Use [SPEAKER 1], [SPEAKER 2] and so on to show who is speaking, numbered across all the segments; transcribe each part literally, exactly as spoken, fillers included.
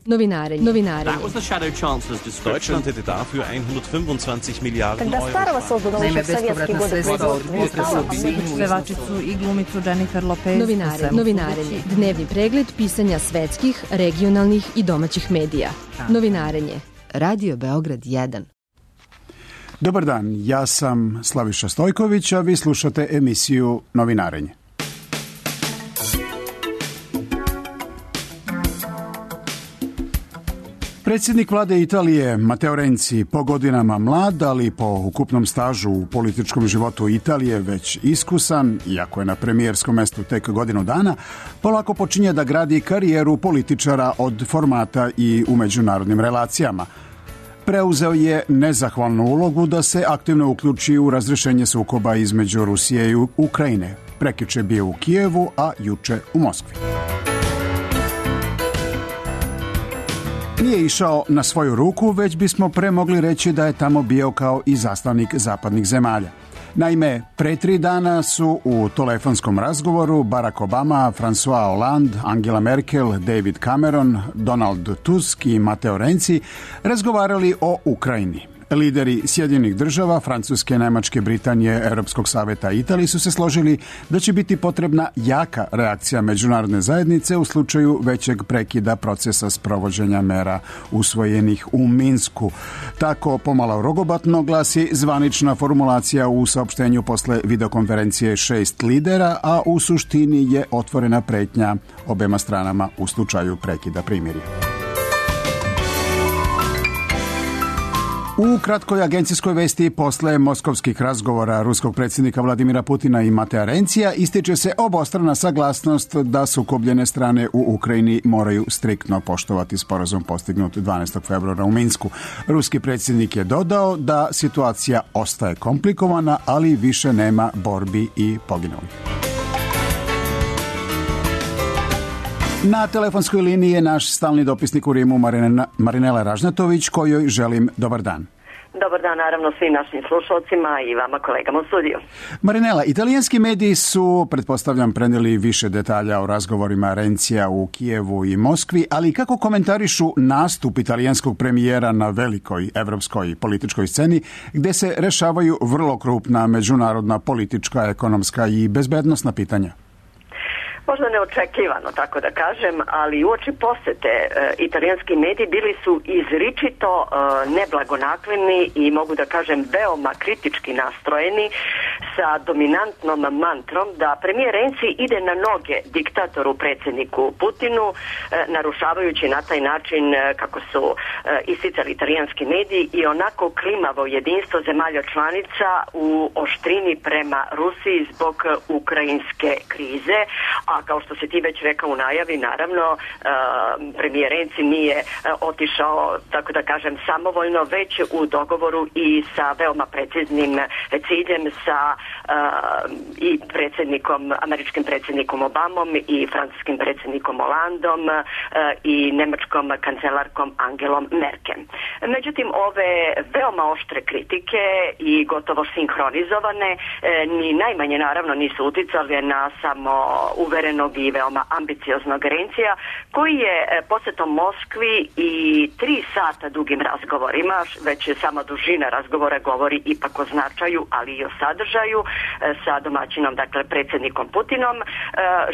[SPEAKER 1] Novinarenje. Novinarenje.
[SPEAKER 2] Deutschland hätte dafür hundertfünfundzwanzig Milliarden Euro.
[SPEAKER 3] Naime, bespovratna sredstva od potresa u Sinju, pevačicu i glumicu Jennifer Lopez.
[SPEAKER 1] Novinarenje. Novinarenje. Dnevni pregled pisanja svetskih, regionalnih i domaćih medija. Novinarenje. Radio Beograd jedan.
[SPEAKER 4] Dobar dan, ja sam Slaviša Stojković, a vi slušate emisiju Novinarenje. Predsjednik vlade Italije Matteo Renzi, po godinama mlad, ali po ukupnom stažu u političkom životu Italije već iskusan, iako je na premijerskom mestu tek godinu dana, polako počinje da gradi karijeru političara od formata i u međunarodnim relacijama. Preuzeo je nezahvalnu ulogu da se aktivno uključi u razrešenje sukoba između Rusije i Ukrajine. Prekjuče bio u Kijevu, a juče u Moskvi. Nije išao na svoju ruku, već bismo pre mogli reći da je tamo bio kao i zastavnik zapadnih zemalja. Naime, pre tri dana su u telefonskom razgovoru Barack Obama, François Hollande, Angela Merkel, David Cameron, Donald Tusk i Matteo Renzi razgovarali o Ukrajini. Lideri Sjedinjenih država, Francuske, Nemačke, Britanije, Europskog saveta i Italije su se složili da će biti potrebna jaka reakcija međunarodne zajednice u slučaju većeg prekida procesa sprovođenja mera usvojenih u Minsku. Tako pomalo rogobatno glasi zvanična formulacija u saopštenju posle videokonferencije šest lidera, a u suštini je otvorena pretnja obema stranama u slučaju prekida primirja. U kratkoj agencijskoj vesti posle moskovskih razgovora ruskog predsjednika Vladimira Putina i Matea Renzija ističe se obostrana saglasnost da sukobljene strane u Ukrajini moraju striktno poštovati sporazum postignut dvanaestog februara u Minsku. Ruski predsjednik je dodao da situacija ostaje komplikovana, ali više nema borbi i poginulih. Na telefonskoj liniji je naš stalni dopisnik u Rimu Marinela Ražnatović, kojoj želim dobar dan.
[SPEAKER 5] Dobar dan, naravno, svim našim slušalcima i vama kolegama u studiju.
[SPEAKER 4] Marinela, italijanski mediji su, pretpostavljam, prenijeli više detalja o razgovorima Renzija u Kijevu i Moskvi, ali kako komentarišu nastup italijanskog premijera na velikoj evropskoj političkoj sceni, gde se rešavaju vrlo krupna međunarodna politička, ekonomska i bezbednosna pitanja?
[SPEAKER 5] Možda neočekivano, tako da kažem, ali uoči posete e, italijanski mediji bili su izričito e, neblagonakloni i mogu da kažem veoma kritički nastrojeni sa dominantnom mantrom da premijer Renzi ide na noge diktatoru predsjedniku Putinu, e, narušavajući na taj način e, kako su e, isticali italijanski mediji i onako klimavo jedinstvo zemalja članica u oštrini prema Rusiji zbog ukrajinske krize, a kao što se ti već rekao u najavi, naravno, uh, premijer Renzi nije uh, otišao, tako da kažem, samovoljno, već u dogovoru i sa veoma preciznim ciljem sa uh, i predsjednikom, američkim predsjednikom Obamom i francuskim predsjednikom Hollandom uh, i nemačkom kancelarkom Angelom Merkel. Međutim, ove veoma oštre kritike i gotovo sinhronizovane uh, ni najmanje, naravno, nisu uticali na samo uverenog i veoma ambicioznog Renzija, koji je posjetom Moskvi i tri sata dugim razgovorima, već je sama dužina razgovora govori ipak o značaju, ali i o sadržaju, sa domaćinom, dakle predsjednikom Putinom,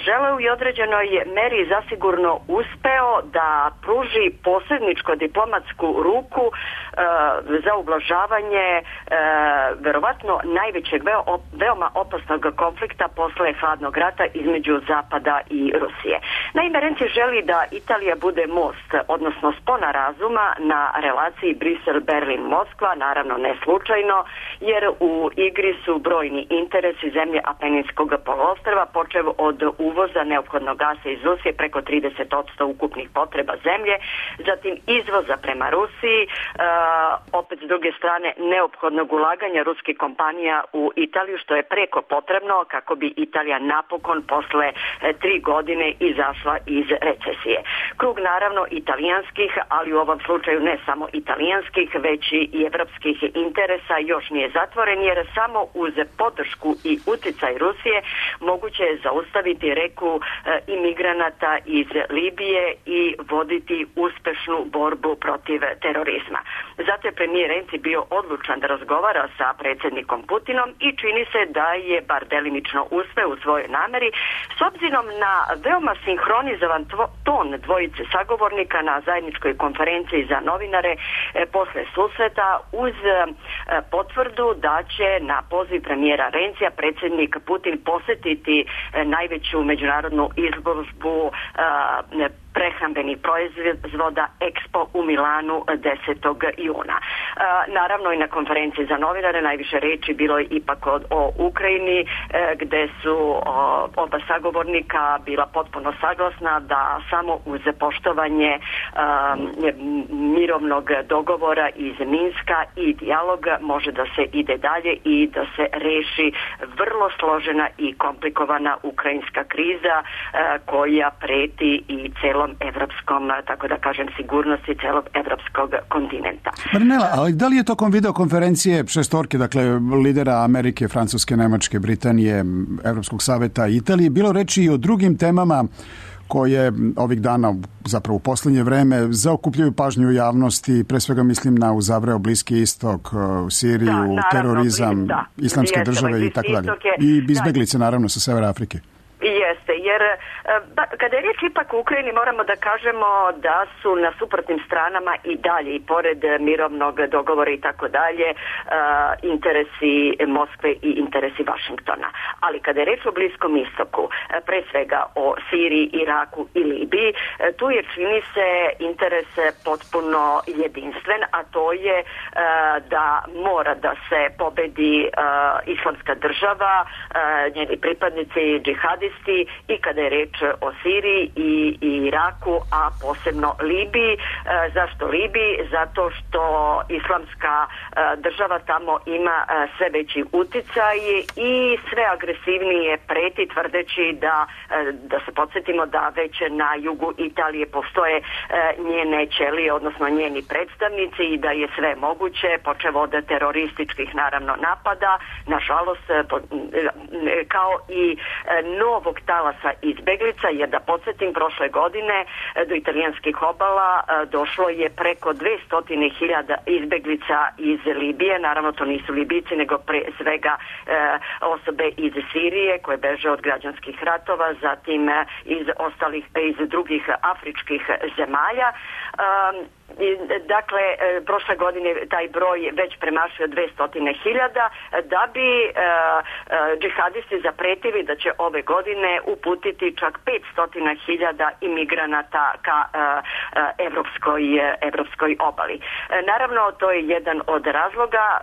[SPEAKER 5] želeo i određenoj meri zasigurno uspeo da pruži posredničko diplomatsku ruku za ublažavanje verovatno najvećeg veoma opasnog konflikta posle hladnog rata između Zapada i Rusije. Naime, Renzi želi da Italija bude most, odnosno spona razuma na relaciji Brisel-Berlin-Moskva, naravno ne slučajno, jer u igri su brojni interesi zemlje Apeninskog poluostrva, počev od uvoza neophodnog gasa iz Rusije preko trideset posto ukupnih potreba zemlje, zatim izvoza prema Rusiji, uh, opet s druge strane neophodnog ulaganja ruskih kompanija u Italiju, što je preko potrebno kako bi Italija napokon posle tri godine izašla iz recesije. Krug naravno italijanskih, ali u ovom slučaju ne samo italijanskih, već i evropskih interesa još nije zatvoren, jer samo uz podršku i uticaj Rusije moguće je zaustaviti reku imigranata iz Libije i voditi uspešnu borbu protiv terorizma. Zato je premijer Renzi bio odlučan da razgovara sa predsjednikom Putinom i čini se da je bar delimično uspeo u svojoj nameri, s obzirom na veoma sinhronizovan ton dvojice sagovornika na zajedničkoj konferenciji za novinare e, posle susreta, uz e, potvrdu da će na poziv premijera Renzija predsjednik Putin posjetiti e, najveću međunarodnu izložbu e, prehrambenih proizvoda Expo u Milanu desetog juna. E, naravno i na konferenciji za novinare najviše reči bilo je ipak o, o Ukrajini, e, gde su o, oba sagovornika bila potpuno saglasna da samo uz poštovanje e, mirovnog dogovora iz Minska i dijaloga može da se ide dalje i da se reši vrlo složena i komplikovana ukrajinska kriza e, koja preti i celom evropskom, tako da kažem, sigurnosti celog evropskog kontinenta.
[SPEAKER 4] Marinela, ali da li je tokom videokonferencije šestorke, dakle lidera Amerike, Francuske, Nemačke, Britanije, Evropskog saveta i Italije, bilo reči i o drugim temama koje ovih dana, zapravo u posljednje vreme, zaokupljaju pažnju javnosti, pre svega mislim na uzavreo Bliski istok, Siriju, da, naravno, terorizam, da, islamske države i tako dalje. I izbeglice, naravno, sa Severa Afrike.
[SPEAKER 5] Jeste, jer ba, kada je riječ ipak u Ukrajini moramo da kažemo da su na suprotnim stranama i dalje i pored mirovnog dogovora i tako dalje interesi Moskve i interesi Vašingtona. Ali kada je riječ o Bliskom istoku, pre svega o Siriji, Iraku i Libiji, tu je čini se interes potpuno jedinstven, a to je da mora da se pobedi islamska država, njeni pripadnici džihadisti, i kada je reč o Siriji i, i Iraku, a posebno Libiji. E, zašto Libiji? Zato što islamska e, država tamo ima e, sve veći uticaj i sve agresivnije preti, tvrdeći da, e, da se podsjetimo da već na jugu Italije postoje e, njene ćelije, odnosno njeni predstavnici, i da je sve moguće, počev od terorističkih naravno napada, nažalost e, po, e, kao i e, nov talasa izbeglica, jer da podsjetim, prošle godine do italijanskih obala došlo je preko dvesta hiljada izbeglica iz Libije. Naravno, to nisu Libijci, nego pre svega e, osobe iz Sirije koje beže od građanskih ratova, zatim iz ostalih, iz drugih afričkih zemalja. Um, Dakle, prošle godine taj broj već premašio dvesta hiljada, da bi e, e, džihadisti zapretili da će ove godine uputiti čak petsto hiljada imigranata ka e, e, evropskoj, evropskoj obali. E, naravno, to je jedan od razloga e,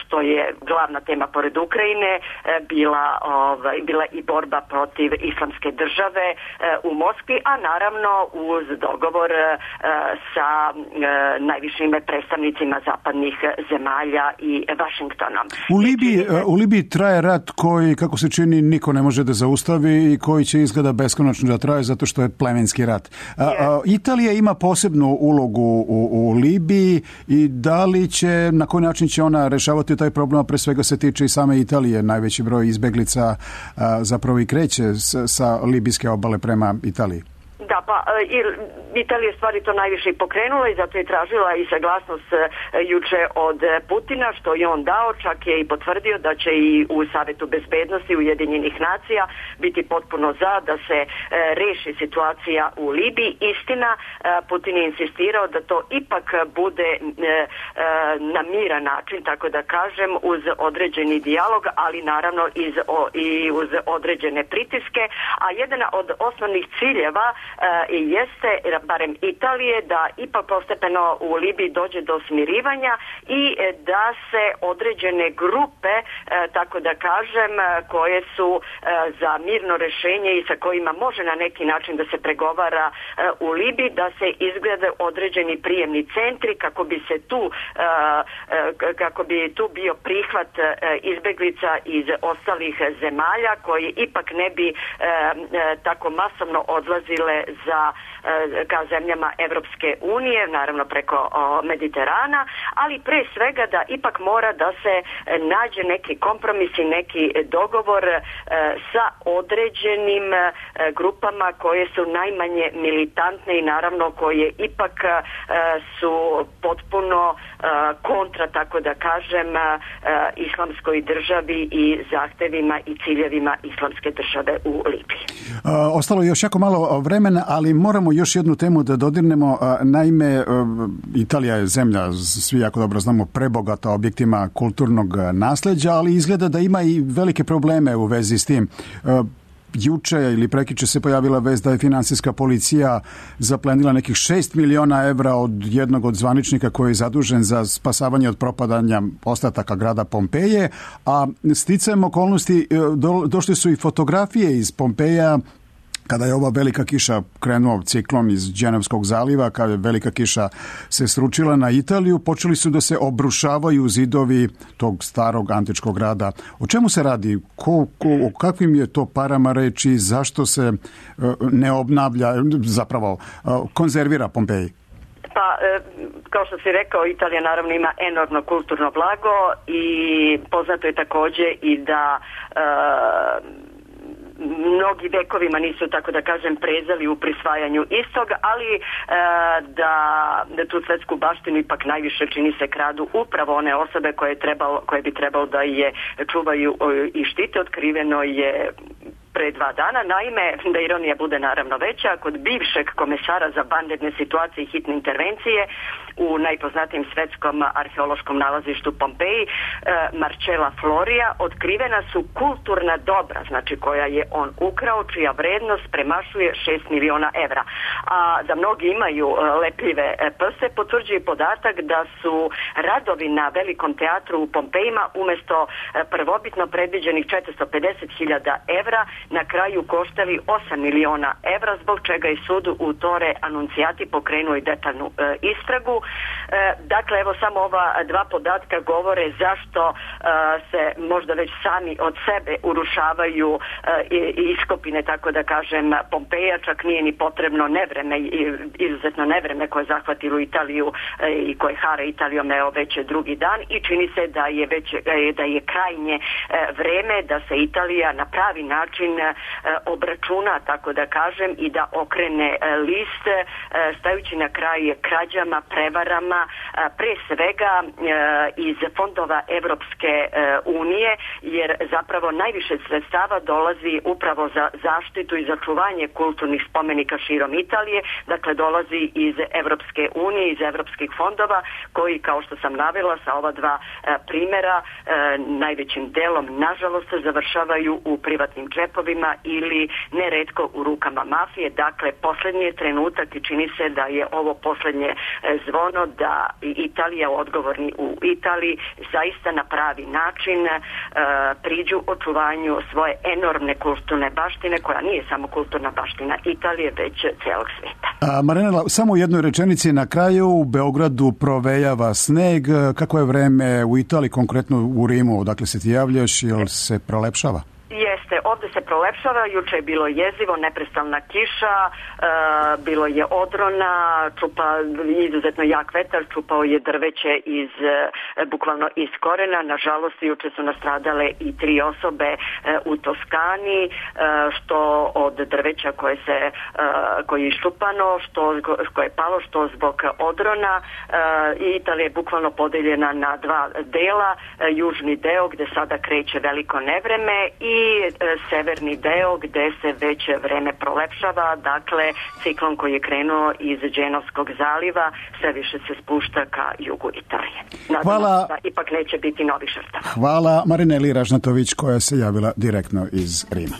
[SPEAKER 5] što je glavna tema pored Ukrajine e, bila, ovaj, bila i borba protiv islamske države e, u Moskvi, a naravno uz dogovor e, sa E, najvišim predstavnicima zapadnih zemalja i Vašingtonom.
[SPEAKER 4] U Libiji, u Libiji traje rat koji, kako se čini, niko ne može da zaustavi i koji će izgleda beskonačno da traje zato što je plemenski rat. A, a, Italija ima posebnu ulogu u, u Libiji i da li će, na koji način će ona rešavati taj problem, a pre svega se tiče i same Italije. Najveći broj izbeglica a, zapravo i kreće s, sa libijske obale prema Italiji.
[SPEAKER 5] Da, pa Italija stvari to najviše i pokrenula i zato je tražila i saglasnost juče od Putina, što je on dao, čak je i potvrdio da će i u Savetu bezbednosti Ujedinjenih nacija biti potpuno za da se e, reši situacija u Libiji. Istina, e, Putin je insistirao da to ipak bude e, e, na miran način, tako da kažem, uz određeni dijalog, ali naravno iz, o, i uz određene pritiske, a jedan od osnovnih ciljeva i jeste, barem Italije, da ipak postepeno u Libiji dođe do smirivanja i da se određene grupe, tako da kažem, koje su za mirno rešenje i sa kojima može na neki način da se pregovara u Libiji, da se izglede određeni prijemni centri kako bi se tu kako bi tu bio prihvat izbeglica iz ostalih zemalja koji ipak ne bi tako masovno odlazile za ka zemljama Evropske unije, naravno preko Mediterana, ali pre svega da ipak mora da se nađe neki kompromis i neki dogovor sa određenim grupama koje su najmanje militantne i naravno koje ipak su potpuno kontra, tako da kažem, islamskoj državi i zahtevima i ciljevima islamske države u Libiji.
[SPEAKER 4] Ostalo je još jako malo vremena, ali moramo još jednu temu da dodirnemo. Naime, Italija je zemlja, svi jako dobro znamo, prebogata objektima kulturnog nasleđa, ali izgleda da ima i velike probleme u vezi s tim. Juče ili prekjuče se pojavila vest da je finansijska policija zaplenila nekih šest miliona evra od jednog od zvaničnika koji je zadužen za spasavanje od propadanja ostataka grada Pompeje, a sticajem okolnosti do, došli su i fotografije iz Pompeja kada je ova velika kiša krenuo ciklon iz Dženevskog zaliva, kada je velika kiša se sručila na Italiju, počeli su da se obrušavaju zidovi tog starog antičkog grada. O čemu se radi? Ko, ko, o kakvim je to parama reči? Zašto se ne obnavlja, zapravo konzervira Pompeji?
[SPEAKER 5] Pa, kao što si rekao, Italija naravno ima enormno kulturno blago i poznato je takođe i da e, mnogi vekovima nisu, tako da kažem, prezali u prisvajanju istog, ali e, da, da tu svetsku baštinu ipak najviše čini se kradu upravo one osobe koje, trebalo, koje bi trebalo da je čuvaju i štite. Otkriveno je pre dva dana. Naime, da ironija bude naravno veća, kod bivšeg komesara za vanredne situacije i hitne intervencije u najpoznatijem svetskom arheološkom nalazištu Pompeji, Marcella Floria, otkrivena su kulturna dobra, znači koja je on ukrao, čija vrednost premašuje šest miliona evra. A da mnogi imaju lepljive prste, potvrđuje podatak da su radovi na Velikom teatru u Pompejima umesto prvobitno predviđenih četiristo pedeset hiljada evra na kraju koštali osam miliona evra, zbog čega je sud u Tore Anuncijati pokrenuo i detaljnu e, istragu. E, dakle, evo samo ova dva podatka govore zašto e, se možda već sami od sebe urušavaju e, iskopine, tako da kažem, Pompeja, čak nije ni potrebno nevreme, izuzetno nevreme koje je zahvatilo Italiju e, i koje hara Italijom evo već drugi dan i čini se da je već e, da je krajnje e, vreme da se Italija na pravi način obračuna, tako da kažem, i da okrene list, stajući na kraj krađama, prevarama, pre svega iz fondova Evropske unije, jer zapravo najviše sredstava dolazi upravo za zaštitu i za čuvanje kulturnih spomenika širom Italije, dakle dolazi iz Evropske unije, iz evropskih fondova, koji, kao što sam navela sa ova dva primjera, najvećim delom, nažalost, završavaju u privatnim džepovima ili neretko u rukama mafije. Dakle, posljednji je trenutak i čini se da je ovo posljednje zvono da Italija, odgovorni u Italiji, zaista na pravi način uh, priđu očuvanju svoje enormne kulturne baštine, koja nije samo kulturna baština Italije, već celog svijeta.
[SPEAKER 4] A, Marinela, samo u jednoj rečenici na kraju. U Beogradu provejava sneg. Kako je vreme u Italiji, konkretno u Rimu? Dakle, se ti javljaš, jel se prolepšava?
[SPEAKER 5] Jeste, ovdje se prolepšava, juče je bilo jezivo, neprestalna kiša, e, bilo je odrona, čupa izuzetno jak vetar, čupao je drveće iz, e, bukvalno iz korena. Nažalost, juče su nastradale i tri osobe e, u Toskani, e, što od drveća koje se e, koje je iščupano, što koje je palo, što zbog odrona. E, Italija je bukvalno podeljena na dva dela, e, južni deo gde sada kreće veliko nevreme i i severni deo gde se već vreme prolepšava, dakle ciklon koji je krenuo iz Dženovskog zaliva sve više se spušta ka jugu Italije. Nadamo
[SPEAKER 4] Hvala.
[SPEAKER 5] se da ipak neće biti novi žrtava.
[SPEAKER 4] Hvala Marineli Ražnatović koja se javila direktno iz Rima.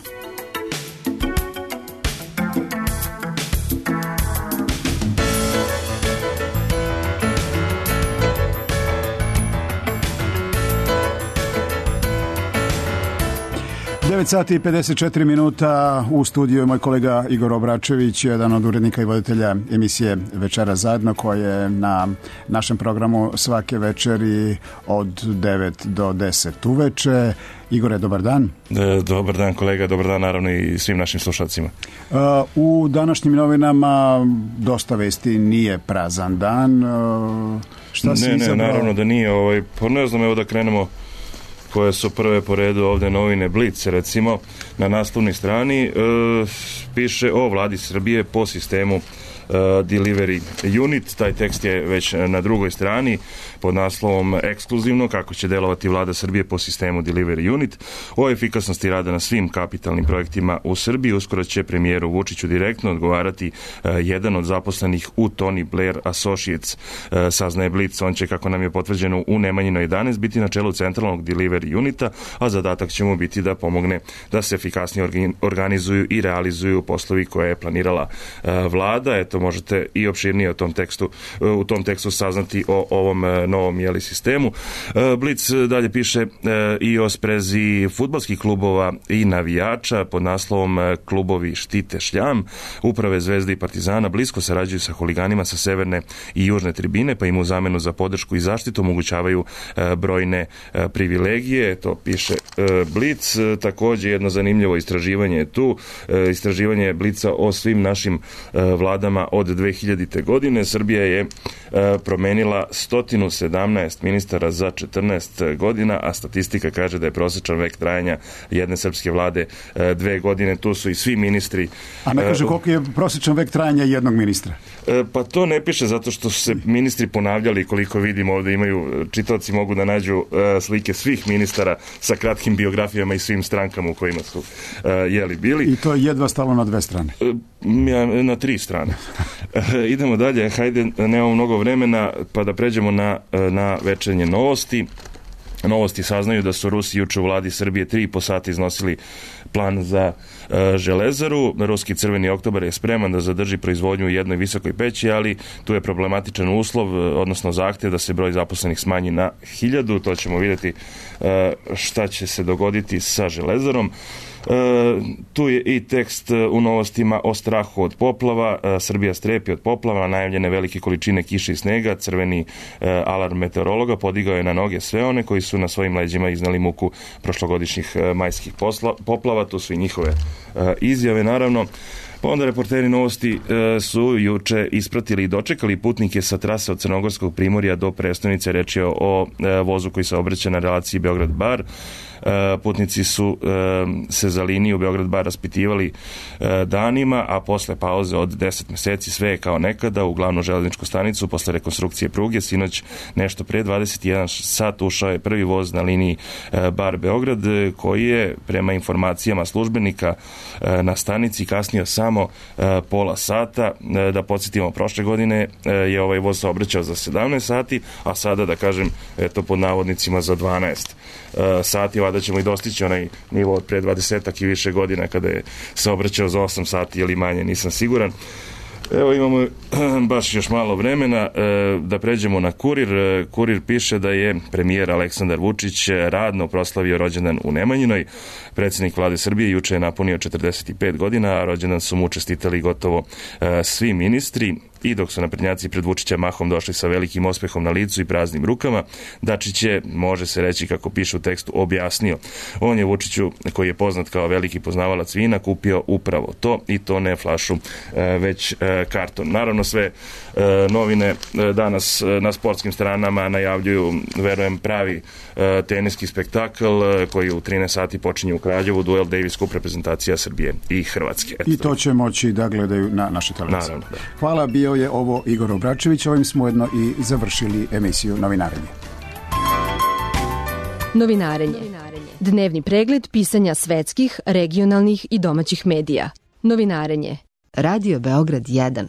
[SPEAKER 4] devet sati i pedeset četiri minuta, u studiju je moj kolega Igor Obračević, jedan od urednika i voditelja emisije Večera zajedno, koja je na našem programu svake večeri od devet do deset uveče. Igore, dobar dan.
[SPEAKER 6] E, dobar dan kolega, dobar dan naravno i svim našim slušalcima.
[SPEAKER 4] Uh, u današnjim novinama dosta vesti, nije prazan dan. Uh, šta si
[SPEAKER 6] ne,
[SPEAKER 4] izabrao?
[SPEAKER 6] Ne, naravno da nije. Ovaj, pa ne znam, evo da krenemo koje su prve po redu ovde novine Blic, recimo, na naslovnoj strani e, piše o vladi Srbije po sistemu e, Delivery Unit. Taj tekst je već na drugoj strani pod naslovom ekskluzivno kako će delovati vlada Srbije po sistemu Delivery Unit. O efikasnosti rada na svim kapitalnim projektima u Srbiji uskoro će premijeru Vučiću direktno odgovarati e, jedan od zaposlenih u Tony Blair Associates. E, saznaje Blic, on će, kako nam je potvrđeno u Nemanjinoj jedanaest, biti na čelu centralnog Delivery Unita, a zadatak će mu biti da pomogne da se efikasnije organizuju i realizuju poslovi koje je planirala e, vlada. Eto, možete i opširnije o tom tekstu, u tom tekstu saznati o ovom novom jeli sistemu. Blic dalje piše i o sprezi fudbalskih klubova i navijača pod naslovom Klubovi štite šljam. Uprave Zvezde i Partizana blisko sarađuju sa huliganima sa severne i južne tribine, pa im u zamenu za podršku i zaštitu omogućavaju brojne privilegije. To piše Blic. Takođe jedno zanimljivo istraživanje je tu. Istraživanje Blica o svim našim vladama od dve hiljadite. godine. Srbija je promenila sto sedamnaest ministara za četrnaest godina, a statistika kaže da je prosečan vek trajanja jedne srpske vlade dve godine. Tu su i svi ministri.
[SPEAKER 4] A ne kaže koliko je prosečan vek trajanja jednog ministra?
[SPEAKER 6] Pa to ne piše zato što su se ministri ponavljali, koliko vidimo ovde imaju, čitaoci mogu da nađu slike svih ministara sa kratkim biografijama i svim strankama u kojima su jeli bili.
[SPEAKER 4] I to je jedva stalo na dve strane?
[SPEAKER 6] Na tri strane. Idemo dalje, hajde, nemamo mnogo vremena, pa da pređemo na, na večernje novosti. Novosti saznaju da su Rusi juče u vladi Srbije tri i po sata iznosili plan za e, železaru. Ruski crveni oktobar je spreman da zadrži proizvodnju u jednoj visokoj peći, ali tu je problematičan uslov, odnosno zahtev da se broj zaposlenih smanji na hiljadu. To ćemo vidjeti e, šta će se dogoditi sa železarom. E, tu je i tekst u novostima o strahu od poplava. E, Srbija strepi od poplava, najavljene velike količine kiše i snega. Crveni e, alarm meteorologa podigao je na noge sve one koji su na svojim leđima iznali muku prošlogodišnjih e, majskih posla, poplava. Tu su i njihove e, izjave, naravno. Pa onda reporteri Novosti e, su juče ispratili i dočekali putnike sa trase od Crnogorskog primorja do prestonice. Reč je o, o e, vozu koji se obraća na relaciji Beograd-Bar. E, putnici su e, se za liniju Beograd-Bar raspitivali e, danima, a posle pauze od deset meseci sve je kao nekada. U glavnu železničku stanicu posle rekonstrukcije pruge sinoć nešto pre dvadeset jedan sat ušao je prvi voz na liniji e, Bar-Beograd, koji je prema informacijama službenika e, na stanici kasnio samo e, pola sata. E, da podsjetimo, prošle godine e, je ovaj voz saobraćao za sedamnaest sati, a sada, da kažem, eto pod navodnicima za dvanaest e, sati. Vada ćemo i dostići onaj nivo od pre dvadesetak i više godina kada je saobraćao za osam sati ili manje, nisam siguran. Evo imamo baš još malo vremena da pređemo na Kurir. Kurir piše da je premijer Aleksandar Vučić radno proslavio rođendan u Nemanjinoj. Predsjednik vlade Srbije juče je napunio četrdeset pet godina, a rođendan su mu čestitali gotovo svi ministri. I dok su naprednjaci pred Vučića mahom došli sa velikim ospehom na licu i praznim rukama, Dačić je, može se reći kako piše u tekstu, objasnio. On je Vučiću, koji je poznat kao veliki poznavalac vina, kupio upravo to, i to ne flašu, već karton. Naravno, sve novine danas na sportskim stranama najavljuju, verujem, pravi teniski spektakl koji u trinaest sati počinje u Kraljevu, duel Davis Cup reprezentacija Srbije i Hrvatske. Eto.
[SPEAKER 4] I to će moći da gledaju na našoj televiziji.
[SPEAKER 6] Naravno, da.
[SPEAKER 4] Hvala, bio je ovo Igor Obračević. Ovim smo ujedno i završili emisiju Novinarenje.
[SPEAKER 1] Novinarenje. Dnevni pregled pisanja svetskih, regionalnih i domaćih medija. Novinarenje. Radio Beograd jedan.